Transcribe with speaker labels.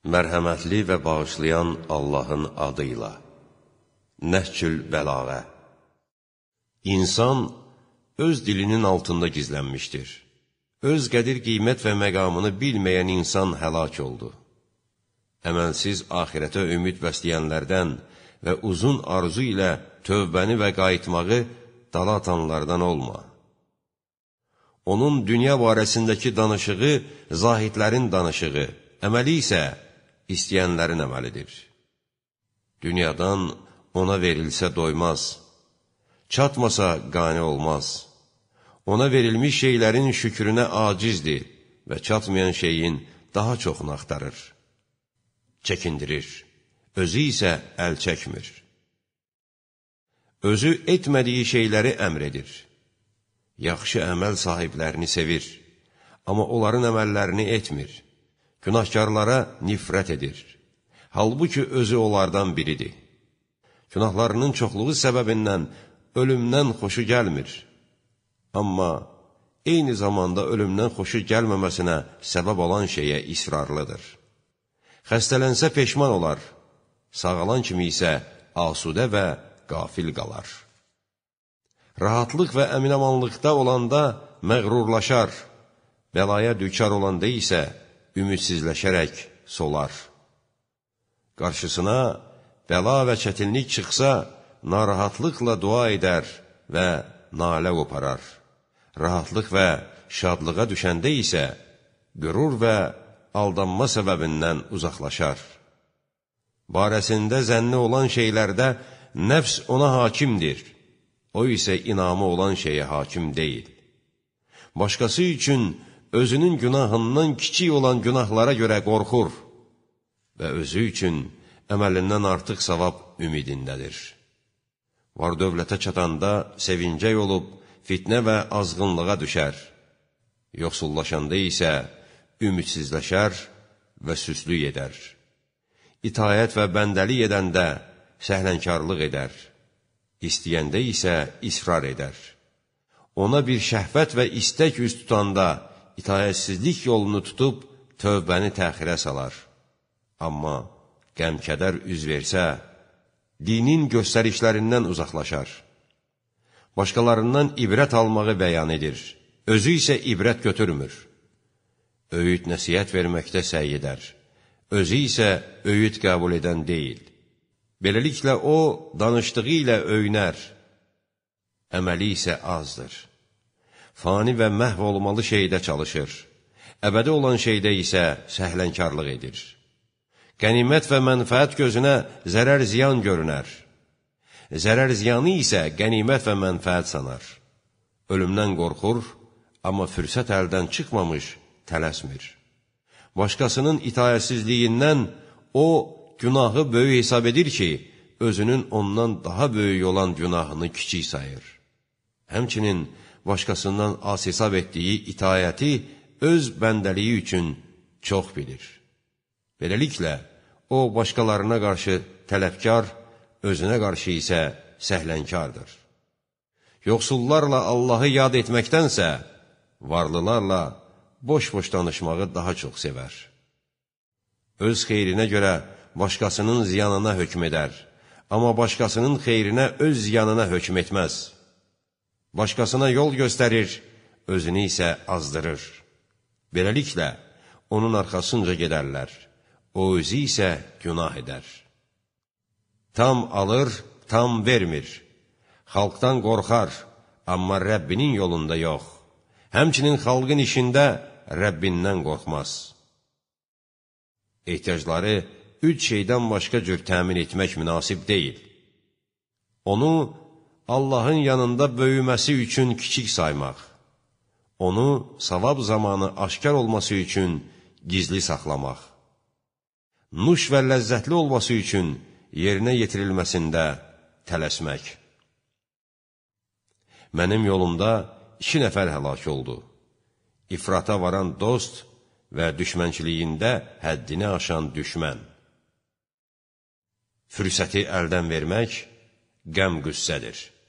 Speaker 1: Mərhəmətli və bağışlayan Allahın adıyla. Nəhcül Bəlağə. İnsan öz dilinin altında gizlənmişdir. Öz qədir qiymət və məqamını bilməyən insan həlak oldu. Əməlsiz axirətə ümid bəsləyənlərdən və uzun arzu ilə tövbəni və qayıtmağı dala atanlardan olma. Onun dünya barəsindəki danışığı zahidlərin danışığı, əməli isə istəyənlərin əməlidir. Dünyadan ona verilsə doymaz, çatmasa qane olmaz. Ona verilmiş şeylərin şükrünə acizdir və çatmayan şeyin daha çoxunu axtarır. Çəkindirir, özü isə əl çəkmir. Özü etmədiyi şeyləri əmr edir. Yaxşı əməl sahiblərini sevir, amma onların əməllərini etmir. Günahkarlara nifrət edir. Halbuki özü onlardan biridir. Günahlarının çoxluğu səbəbindən ölümdən xoşu gəlmir. Amma eyni zamanda ölümdən xoşu gəlməməsinə səbəb olan şeyə israrlıdır. Xəstələnsə peşman olar, sağalan kimi isə asudə və qafil qalar. Rahatlıq və əminamanlıqda olanda məğrurlaşar, bəlaya düçar olanda isə ümidsizləşərək solar. Qarşısına bəla və çətinlik çıxsa, narahatlıqla dua edər və nalə qoparar. Rahatlıq və şadlığa düşəndə isə qürur və aldanma səbəbindən uzaqlaşar. Barəsində zənni olan şeylərdə nəfs ona hakimdir, o isə inamı olan şeyə hakim deyil. Başqası üçün özünün günahından kiçik olan günahlara görə qorxur və özü üçün əməlindən artıq savab ümidindədir. Var dövlətə çatanda sevincək olub, fitnə və azğınlığa düşər. Yoxsullaşanda isə ümidsizləşər və süslük edər. İtaət və bəndəlik edəndə səhlənkarlıq edər. İstəyəndə isə israr edər. Ona bir şəhvət və istək üst tutanda itaətsizlik yolunu tutub tövbəni təxirə salar. Amma qəm-kədər üz versə, dinin göstərişlərindən uzaqlaşar. Başqalarından ibrət almağı bəyan edir, özü isə ibrət götürmür. Öyüd nəsihət verməkdə səy edər, özü isə öyüd qəbul edən deyil. Beləliklə o, danışdığı ilə öyünər, əməli isə azdır. Fani və məhv olmalı şeydə çalışır, əbədi olan şeydə isə səhlənkarlıq edir. Qənimət və mənfəət gözünə zərər ziyan görünər. Zərər ziyanı isə qənimət və mənfəət sanar. Ölümdən qorxur, amma fürsət əldən çıxmamış tələsmir. Başqasının itaətsizliyindən o, günahı böyük hesab edir ki, özünün ondan daha böyük olan günahını kiçik sayır. Həmçinin başqasından az hesab etdiyi itaəti öz bəndəliyi üçün çox bilir. Beləliklə, o, başqalarına qarşı tələbkar, özünə qarşı isə səhlənkardır. Yoxsullarla Allahı yad etməkdənsə, varlılarla boş-boş danışmağı daha çox sevər. Öz xeyrinə görə başqasının ziyanına hökm edər, amma başqasının xeyrinə öz ziyanına hökm etməz. Başqasına yol göstərir, özünü isə azdırır. Beləliklə, onun arxasınca gedərlər, o özü isə günah edər. Tam alır, tam vermir. Xalqdan qorxar, amma Rəbbinin yolunda yox. Həmçinin xalqın işində Rəbbindən qorxmaz. Ehtiyacları 3 şeydən başqa cür təmin etmək münasib deyil. Onu Allahın yanında böyüməsi üçün kiçik saymaq. Onu savab zamanı aşkar olması üçün gizli saxlamaq. Nuş və ləzzətli olması üçün yerinə yetirilməsində tələsmək. Mənim yolumda 2 nəfər həlak oldu. İfrata varan dost və düşmənçiliyində həddini aşan düşmən. Fürsəti əldən vermək qəm-qüssədir.